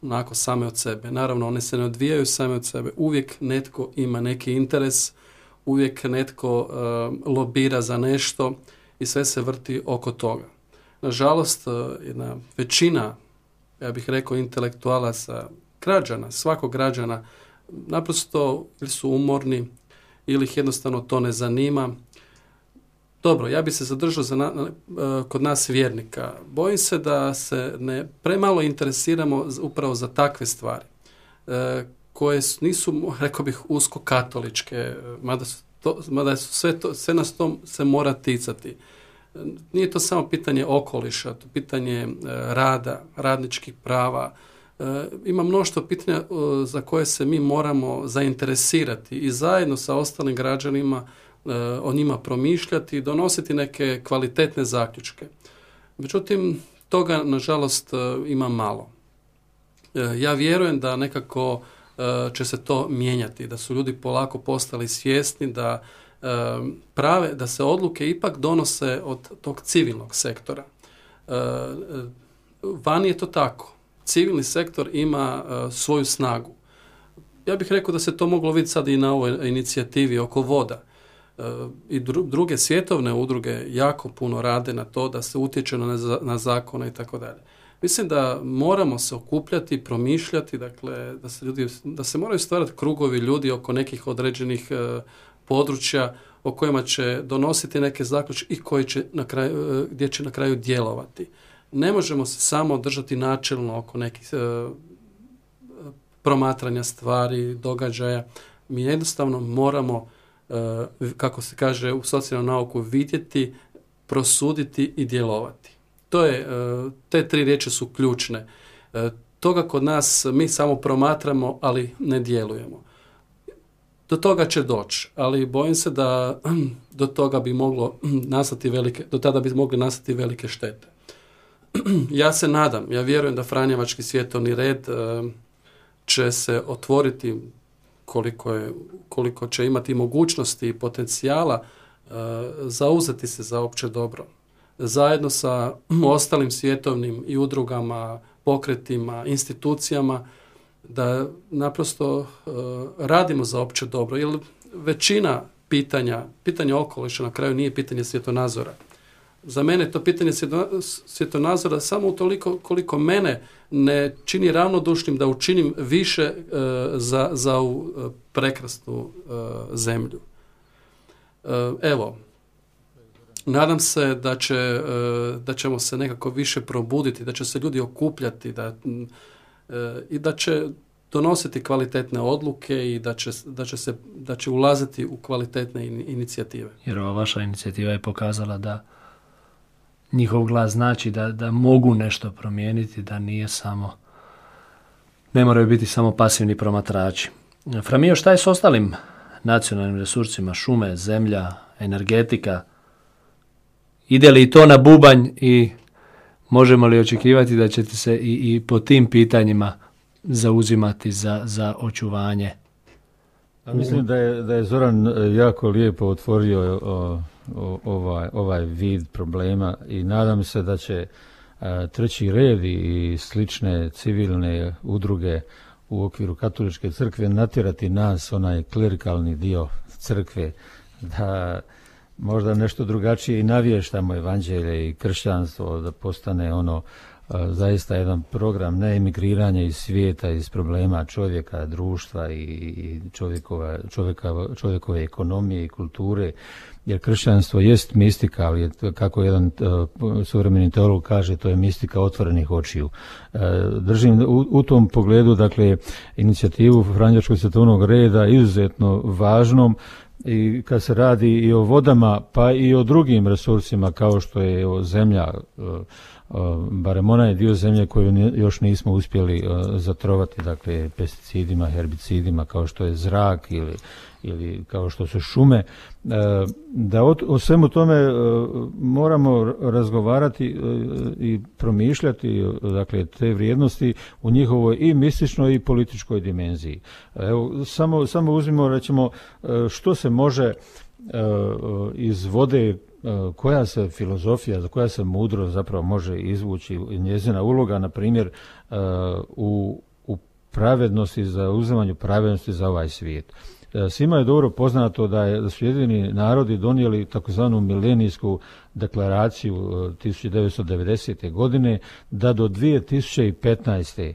onako same od sebe. Naravno, one se ne odvijaju same od sebe. Uvijek netko ima neki interes, uvijek netko lobira za nešto i sve se vrti oko toga. Nažalost, jedna većina, ja bih rekao, intelektualaca, građana, svakog građana, naprosto ili su umorni ili ih jednostavno to ne zanima. Dobro, ja bi se zadržao kod nas vjernika. Bojim se da se premalo interesiramo upravo za takve stvari, koje nisu, rekao bih, usko katoličke, mada su sve nas to se mora ticati. Nije to samo pitanje okoliša, to pitanje rada, radničkih prava. Ima mnoštvo pitanja za koje se mi moramo zainteresirati i zajedno sa ostalim građanima o njima promišljati i donositi neke kvalitetne zaključke. Međutim, toga, nažalost, ima malo. Ja vjerujem da nekako će se to mijenjati, da su ljudi polako postali svjesni da se odluke ipak donose od tog civilnog sektora. Vani je to tako. Civilni sektor ima svoju snagu. Ja bih rekao da se to moglo vidjeti sad i na ovoj inicijativi oko voda. I druge svjetovne udruge jako puno rade na to da se utječe na zakone i tako dalje. Mislim da moramo se okupljati, promišljati, dakle, da se moraju stvarati krugovi ljudi oko nekih određenih područja o kojima će donositi neke zaključke i koji će gdje će na kraju djelovati. Ne možemo se samo držati načelno oko nekih promatranja stvari, događaja. Mi jednostavno moramo, kako se kaže u socijalnom nauku, vidjeti, prosuditi i djelovati. Te 3 riječi su ključne. Toga kod nas mi samo promatramo, ali ne djelujemo. Do toga će doći, ali bojim se da do toga bi moglo nastati do tada bi mogli nastati velike štete. Ja se nadam, ja vjerujem da Franjevački svjetovni red će se otvoriti koliko će imati mogućnosti i potencijala zauzeti se za opće dobro. Zajedno sa ostalim svjetovnim i udrugama, pokretima, institucijama, da naprosto radimo za opće dobro. Jer većina pitanja okoliša na kraju nije pitanje svjetonazora. Za mene je to pitanje svjetonazora samo utoliko koliko mene ne čini ravnodušnim da učinim više za ovu prekrasnu zemlju. Evo, nadam se da ćemo se nekako više probuditi, da će se ljudi okupljati i da će donositi kvalitetne odluke i da će ulaziti u kvalitetne inicijative. Jer ova vaša inicijativa je pokazala da njihov glas znači da mogu nešto promijeniti, da ne moraju biti samo pasivni promatrači. Framio, šta je s ostalim nacionalnim resursima, šume, zemlja, energetika? Ide li to na bubanj i možemo li očekivati da ćete se i po tim pitanjima zauzimati za očuvanje? Mislim da je Zoran jako lijepo otvorio ovaj vid problema i nadam se da će Treći red i slične civilne udruge u okviru katoličke crkve natjerati nas, onaj klerikalni dio crkve, da možda nešto drugačije i navještamo evanđelje i kršćanstvo, da postane zaista jedan program ne emigriranja iz svijeta, iz problema čovjeka, društva i čovjekove ekonomije i kulture, jer kršćanstvo jest mistika, ali kako jedan suvremeni teolog kaže, to je mistika otvorenih očiju. Držim u tom pogledu, dakle, inicijativu Franjevačkog svjetovnog reda izuzetno važnom, i kad se radi i o vodama, pa i o drugim resursima kao što je zemlja, barem onaj dio zemlje koju još nismo uspjeli zatrovati, dakle pesticidima, herbicidima, kao što je zrak ili kao što su šume, da o svemu tome moramo razgovarati i promišljati, dakle, te vrijednosti u njihovoj i mističnoj i političkoj dimenziji. Evo, samo uzmimo, recimo, što se može iz vode, koja se filozofija, koja se mudrost zapravo može izvući, njezina uloga, na primjer, u pravednosti, za uzimanju pravednosti za ovaj svijet. Svima je dobro poznato da su Ujedinjeni narodi donijeli takozvanu milenijsku deklaraciju 1990. godine, da do 2015.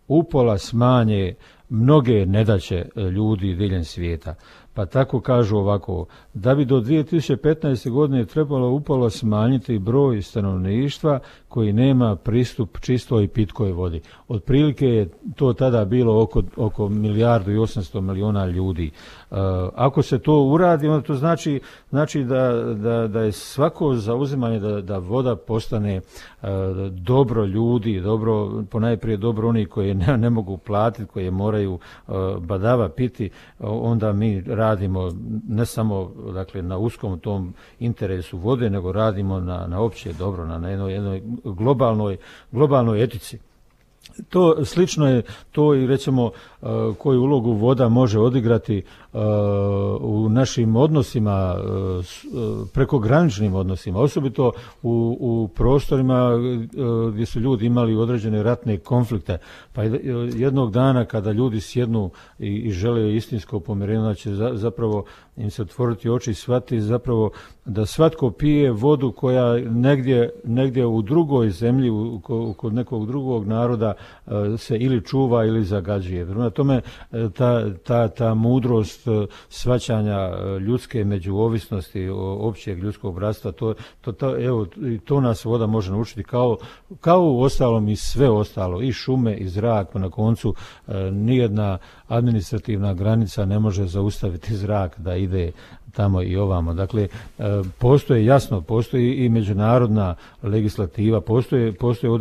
upola smanje mnoge nedaće ljudi diljem svijeta. Pa tako kažu ovako, da bi do 2015. godine trebalo upola smanjiti broj stanovništva koji nema pristup čistoj i pitkoj vodi. Otprilike je to tada bilo oko 1.800.000.000 ljudi. Ako se to uradi, onda to znači da je svako zauzimanje da voda postane dobro ljudi, dobro, ponajprije dobro oni koji ne mogu platiti, koji moraju badava piti, onda mi radimo ne samo, dakle, na uskom tom interesu vode, nego radimo na opće dobro, na jednoj globalnoj etici. To slično je to i, recimo, koju ulogu voda može odigrati u našim odnosima, prekograničnim odnosima, osobito u prostorima gdje su ljudi imali određene ratne konflikte. Pa jednog dana kada ljudi sjednu i žele istinsko pomirenje, će zapravo im se otvoriti oči i shvatiti zapravo da svatko pije vodu koja negdje u drugoj zemlji, kod nekog drugog naroda se ili čuva ili zagađuje. Prema tome, ta mudrost shvaćanja ljudske međuovisnosti, općeg ljudskog bratstva, to nas voda može naučiti kao u ostalom i sve ostalo, i šume, i zrak, pa na koncu nijedna administrativna granica ne može zaustaviti zrak da ide tamo i ovamo. Dakle, postoji i međunarodna legislativa, postoje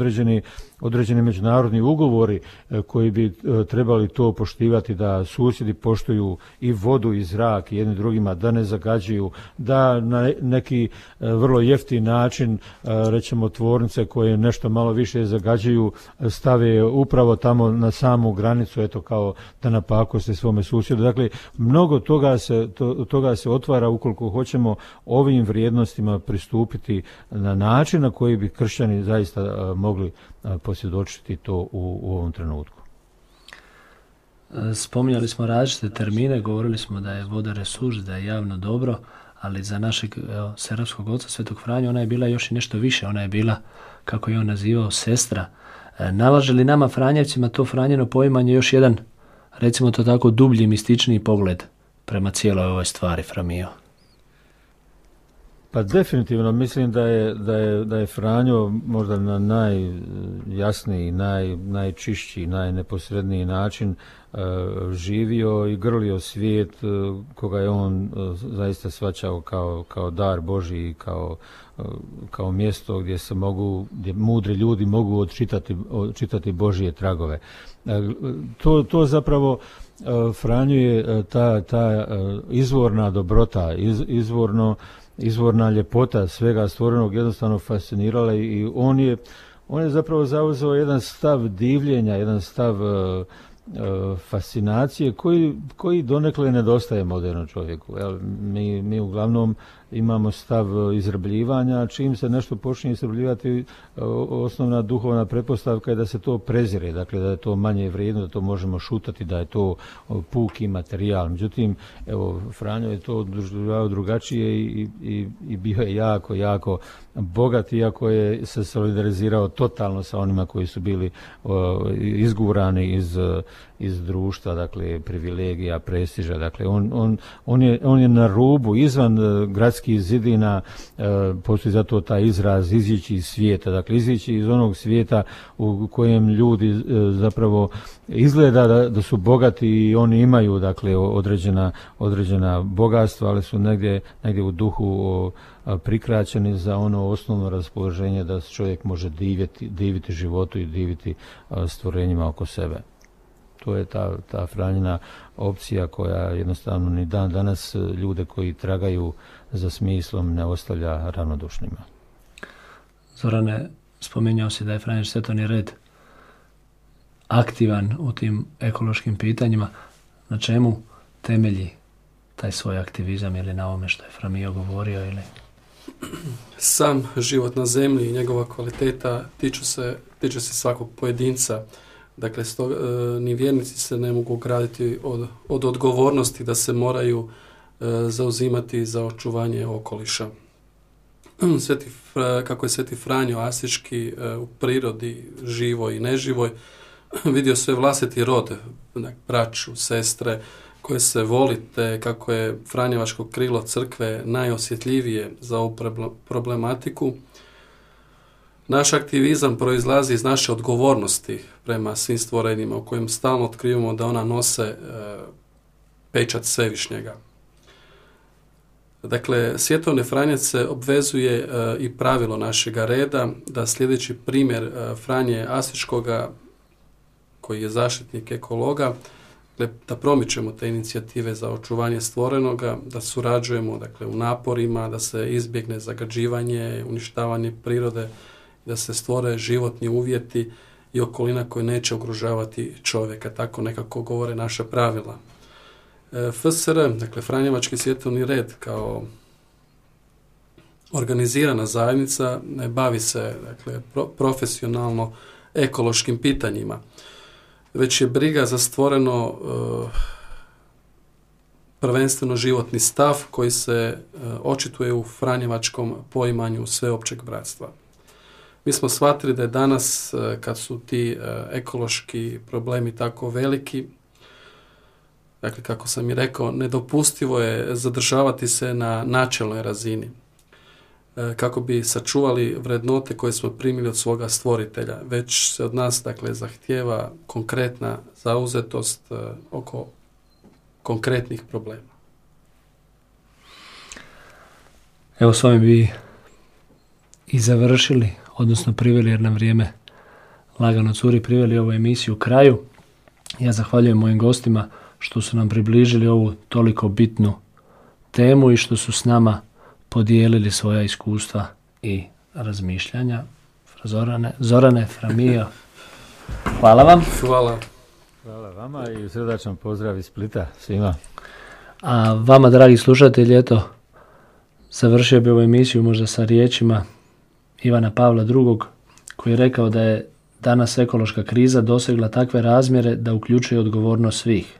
određeni međunarodni ugovori koji bi trebali to poštivati, da susjedi poštuju i vodu i zrak jedni drugima, da ne zagađuju, da na neki vrlo jeftin način, rećemo, tvornice koje nešto malo više zagađuju stave upravo tamo na samu granicu, eto, kao da napakoste svome susjedu. Dakle, mnogo toga se otvara ukoliko hoćemo ovim vrijednostima pristupiti na način na koji bi kršćani zaista mogli posvjedočiti to u ovom trenutku. Spominjali smo različite termine, govorili smo da je voda resurs, da je javno dobro, ali za našeg serbskog oca Svetog Franju ona je bila još i nešto više, ona je bila, kako je on nazivao, sestra. Nalaže li nama Franjevcima to Franjino poimanje još jedan, recimo to tako, dublji, mističniji pogled prema cijeloj ovoj stvari, Framio? Pa definitivno mislim da je Franjo možda na najjasniji, najčišći, najneposredniji način živio i grlio svijet koga je on zaista shvaćao kao dar Božji, kao mjesto gdje mudri ljudi mogu odčitati Božje tragove. To zapravo Franju je ta izvorna dobrota, izvorna ljepota svega stvorenog jednostavno fascinirala i on je zapravo zauzeo jedan stav divljenja, jedan stav fascinacije koji donekle nedostaje modernom čovjeku. Mi uglavnom imamo stav izrabljivanja, čim se nešto počne izrabljivati, osnovna duhovna pretpostavka je da se to prezire, dakle da je to manje vrijedno, da to možemo šutati, da je to puki materijal. Međutim, evo, Franjo je to doživljavao drugačije i bio je jako, jako bogat, iako je se solidarizirao totalno sa onima koji su bili izgurani iz društva, dakle privilegija, prestiža. Dakle, on je na rubu, izvan gradskih zidina, postoji zato taj izraz izići iz svijeta, dakle izići iz onog svijeta u kojem ljudi zapravo izgleda da su bogati i oni imaju, dakle, određena bogatstva, ali su negdje u duhu prikraćeni za ono osnovno raspoloženje da čovjek može diviti životu i diviti stvorenjima oko sebe. To je ta Franjina opcija koja jednostavno ni dan danas ljude koji tragaju za smislom ne ostavlja ravnodušnima. Zorane, spominjao si da je Franjiš Svetovni red aktivan u tim ekološkim pitanjima. Na čemu temelji taj svoj aktivizam, ili na ovome što je Framio govorio, ili? Sam život na zemlji i njegova kvaliteta tiče se svakog pojedinca. Dakle, ni vjernici se ne mogu ograditi od odgovornosti da se moraju zauzimati za očuvanje okoliša. Kako je Sveti Franjo Asiški u prirodi, živoj i neživoj, vidio sve vlastiti rod, braću, sestre, koje se volite, kako je Franjevačko krilo crkve najosjetljivije za ovu problematiku. Naš aktivizam proizlazi iz naše odgovornosti prema svim stvorenjima u kojem stalno otkrivamo da ona nose pečat Svevišnjega. Dakle, Svjetovni Franjac se obvezuje i pravilo našega reda da sljedeći primjer Franje Asiškoga, koji je zaštitnik ekologa, da promičemo te inicijative za očuvanje stvorenoga, da surađujemo, dakle, u naporima, da se izbjegne zagađivanje, uništavanje prirode, da se stvore životni uvjeti i okolina koje neće ugrožavati čovjeka. Tako nekako govore naša pravila. FSR, dakle Franjevački svjetovni red, kao organizirana zajednica, ne bavi se, dakle, profesionalno ekološkim pitanjima, već je briga za stvoreno prvenstveno životni stav koji se očituje u franjevačkom poimanju sveopćeg bratstva. Mi smo shvatili da je danas, kad su ti ekološki problemi tako veliki, Dakle, kako sam i rekao, nedopustivo je zadržavati se na načelnoj razini kako bi sačuvali vrednote koje smo primili od svoga stvoritelja. Već se od nas, dakle, zahtijeva konkretna zauzetost oko konkretnih problema. Evo s ovim bi i završili, odnosno priveli, jer nam vrijeme lagano curi, priveli ovu emisiju kraju. Ja zahvaljujem mojim gostima što su nam približili ovu toliko bitnu temu i što su s nama podijelili svoja iskustva i razmišljanja. Zorane, Framio, hvala vam. Hvala. Hvala vama i srdačan pozdrav iz Splita svima. A vama, dragi slušatelji, eto, završio bi ovu emisiju možda sa riječima Ivana Pavla II. Koji je rekao da je danas ekološka kriza dosegla takve razmjere da uključuje odgovornost svih.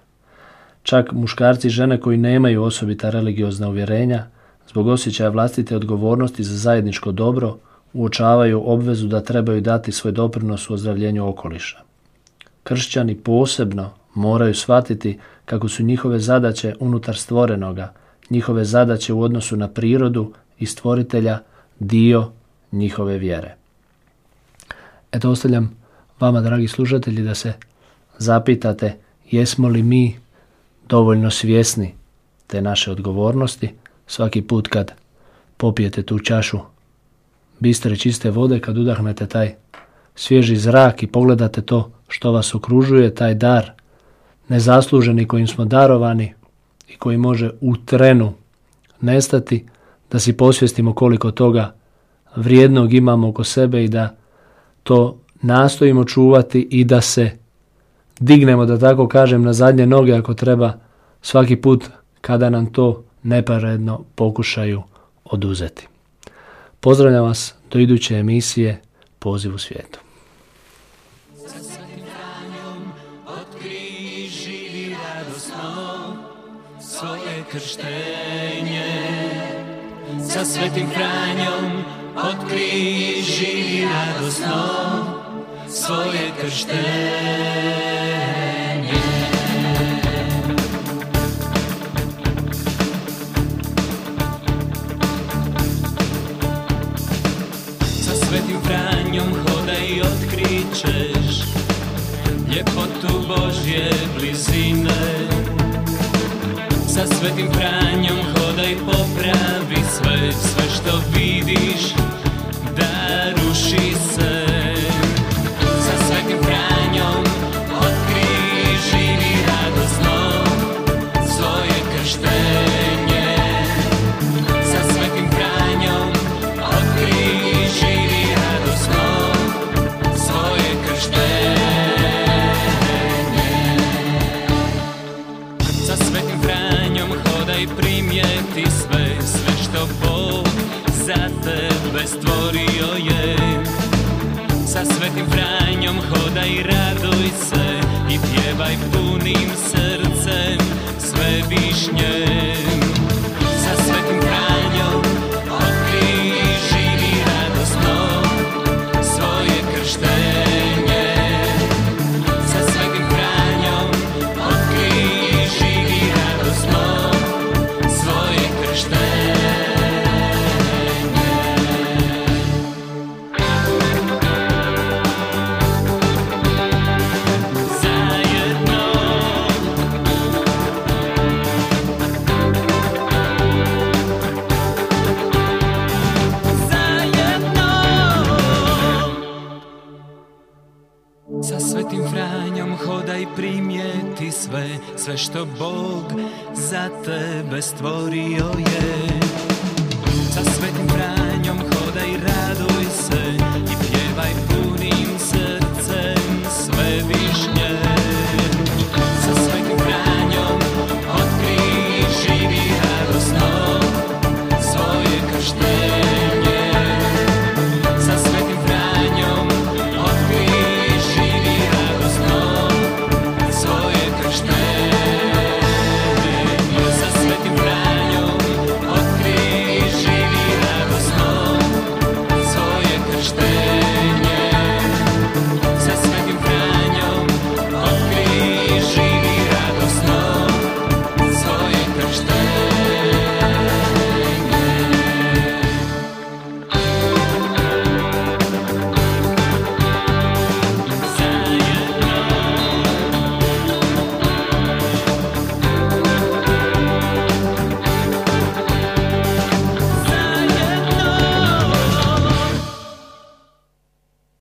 Čak muškarci i žene koji nemaju osobita religiozna uvjerenja, zbog osjećaja vlastite odgovornosti za zajedničko dobro, uočavaju obvezu da trebaju dati svoj doprinos u ozdravljenju okoliša. Kršćani posebno moraju shvatiti kako su njihove zadaće unutar stvorenoga, njihove zadaće u odnosu na prirodu i stvoritelja dio njihove vjere. Eto, ostavljam vama, dragi slušatelji, da se zapitate jesmo li mi dovoljno svjesni te naše odgovornosti svaki put kad popijete tu čašu bistre čiste vode, kad udahnete taj svježi zrak i pogledate to što vas okružuje, taj dar nezasluženi kojim smo darovani i koji može u trenu nestati, da si posvijestimo koliko toga vrijednog imamo oko sebe i da to nastojimo čuvati i da se dignemo, da tako kažem, na zadnje noge ako treba svaki put kada nam to nepravedno pokušaju oduzeti. Pozdravljam vas do iduće emisije Poziv u svijetu. Sa svetim Franjom otkri, živi radosno svoje krštenje. Sa svetim Franjom otkri, živi radosno svoje krštenje. Sa svetim Franjom hodaj i otkrićeš ljepotu Božje blizine. Sa svetim Franjom hodaj, popravi sve što vidiš da ruši se. Sa svetim Franjom otkri, živi radosno svoje krštenje. Sa svetim Franjom otkri, živi radosno svoje krštenje. Sa svetim Franjom hodaj, primijeti sve što Bog za tebe stvorio je. Sa svetim Franjom hodaj, raduj se i pjevaj punim srcem sve višnje. Sa svetim Franjom otkri, živi radosno svoje krštenje. Sa svetim Franjom otkri, živi radosno svoje krštenje. Sa svetim Franjom hodaj, primijeti sve što Bog za tebe stvorio je. Sa svetim Franjom hodaj, raduj se i